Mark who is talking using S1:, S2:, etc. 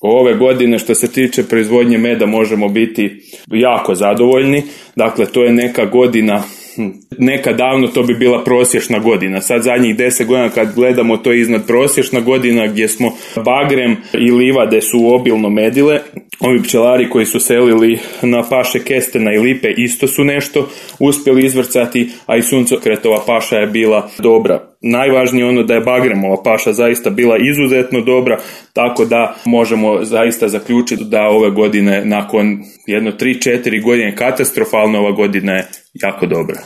S1: Ove godine što se tiče proizvodnje meda možemo biti jako zadovoljni. Dakle, to je neka godina, neka davno to bi bila prosječna godina. Sad zadnjih 10 godina kad gledamo to je iznad prosječna godina gdje smo bagrem i livade su obilno medile. Ovi pčelari koji su selili na paše kestena i lipe isto su nešto uspjeli izvrcati, a i suncokretova paša je bila dobra. Najvažnije ono da je bagremova paša zaista bila izuzetno dobra, tako da možemo zaista zaključiti da ove godine nakon 3-4 godine katastrofalne, ova godina je jako dobra.